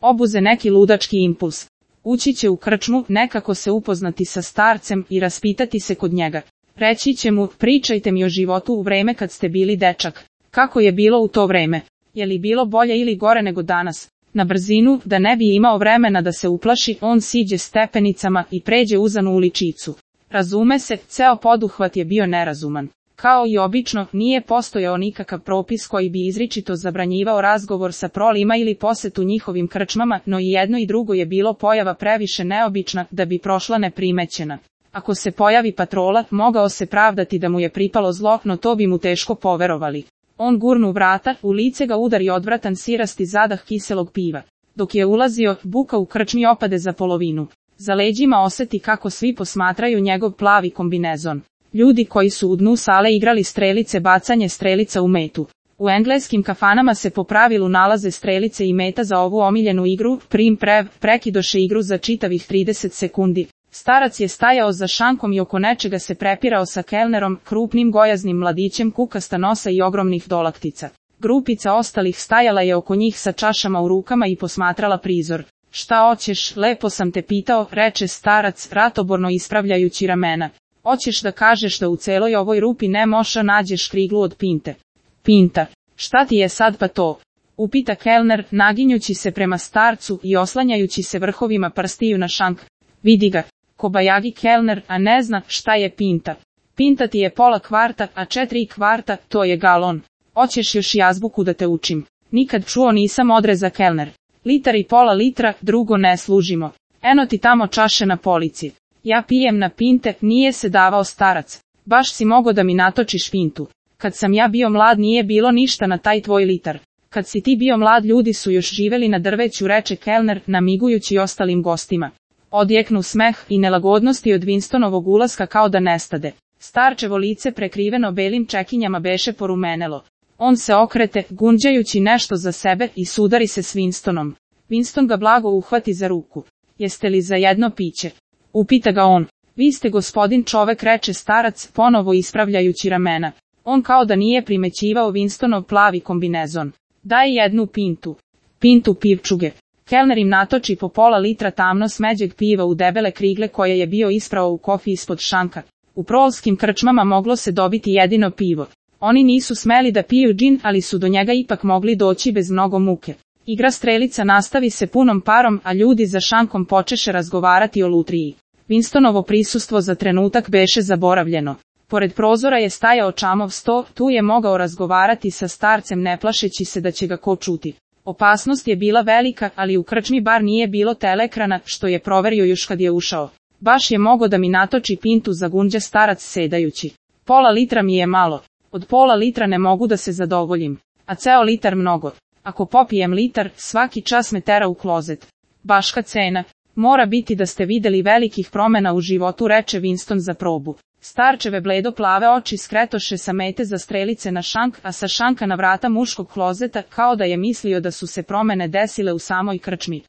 obuze neki ludački impuls. Ući će u krčmu, nekako se upoznati sa starcem i raspitati se kod njega. Reći će mu, pričajte mi o životu u vreme kad ste bili dečak. Kako je bilo u to vreme? Je li bilo bolje ili gore nego danas? Na brzinu, da ne bi imao vremena da se uplaši, on siđe stepenicama i pređe uzanu uličicu. Razume se, ceo poduhvat je bio nerazuman. Kao i obično, nije postojao nikakav propis koji bi izričito zabranjivao razgovor sa prolima ili posetu njihovim krčmama, no i jedno i drugo je bilo pojava previše neobična da bi prošla neprimećena. Ako se pojavi patrola, mogao se pravdati da mu je pripalo zlo, no to bi mu teško poverovali. On gurnu vrata, u lice ga udari odvratan sirasti zadah kiselog piva. Dok je ulazio, buka u krčmi opade za polovinu. Za leđima oseti kako svi posmatraju njegov plavi kombinezon. Ljudi koji su u dnu sale igrali strelice, bacanje strelica u metu. U engleskim kafanama se po pravilu nalaze strelice i meta za ovu omiljenu igru, prekidoše igru za čitavih 30 sekundi. Starac je stajao za šankom i oko nečega se prepirao sa kelnerom, krupnim gojaznim mladićem kukasta nosa i ogromnih dolaktica. Grupica ostalih stajala je oko njih sa čašama u rukama i posmatrala prizor. Šta oćeš, lepo sam te pitao, reče starac, ratoborno ispravljajući ramena. Oćeš da kažeš da u celoj ovoj rupi ne moša nađeš kriglu od pinte. Pinta. Šta ti je sad pa to? Upita kelner, naginjući se prema starcu i oslanjajući se vrhovima prstiju na šank. Vidi ga. Kobajagi kelner, a ne zna šta je pinta. Pinta ti je pola kvarta, a 4 kvarta, to je galon. Oćeš još i azbuku da te učim. Nikad čuo nisam, odreza kelner. Litar i pola litra, drugo ne služimo. Eno ti tamo čaše na polici. Ja pijem na pinte, nije se davao starac. Baš si mogo da mi natočiš pintu. Kad sam ja bio mlad nije bilo ništa na taj tvoj litar. Kad si ti bio mlad ljudi su još živeli na drveću, reče kelner, namigujući ostalim gostima. Odjeknu smeh i nelagodnosti od Winstonovog ulaska kao da nestade. Starčevo lice prekriveno belim čekinjama beše porumenelo. On se okrete, gunđajući nešto za sebe i sudari se s Winstonom. Winston ga blago uhvati za ruku. Jeste li za jedno piće? Upita ga on. Vi ste gospodin čovek, reče starac, ponovo ispravljajući ramena. On kao da nije primećivao Winstonov plavi kombinezon. Daj jednu pintu. Pintu pivčuge. Kelner im natoči po pola litra tamno smeđeg piva u debele krigle koje je bio isprao u kofi ispod šanka. U prolskim krčmama moglo se dobiti jedino pivo. Oni nisu smeli da piju džin, ali su do njega ipak mogli doći bez mnogo muke. Igra strelica nastavi se punom parom, a ljudi za šankom počeše razgovarati o lutriji. Winstonovo prisustvo za trenutak beše zaboravljeno. Pored prozora je stajao čamov sto, tu je mogao razgovarati sa starcem ne plašeći se da će ga ko čuti. Opasnost je bila velika, ali u krčmi bar nije bilo telekrana, što je proverio još kad je ušao. Baš je mogo da mi natoči pintu, zagunđa starac sedajući. Pola litra mi je malo. Od pola litra ne mogu da se zadovoljim. A ceo litar mnogo. Ako popijem litar, svaki čas me tera u klozet. Baška cena. Mora biti da ste videli velikih promena u životu, reče Winston za probu. Starčeve bledo plave oči skretoše sa mete za strelice na šank, a sa šanka na vrata muškog klozeta, kao da je mislio da su se promene desile u samoj krčmi.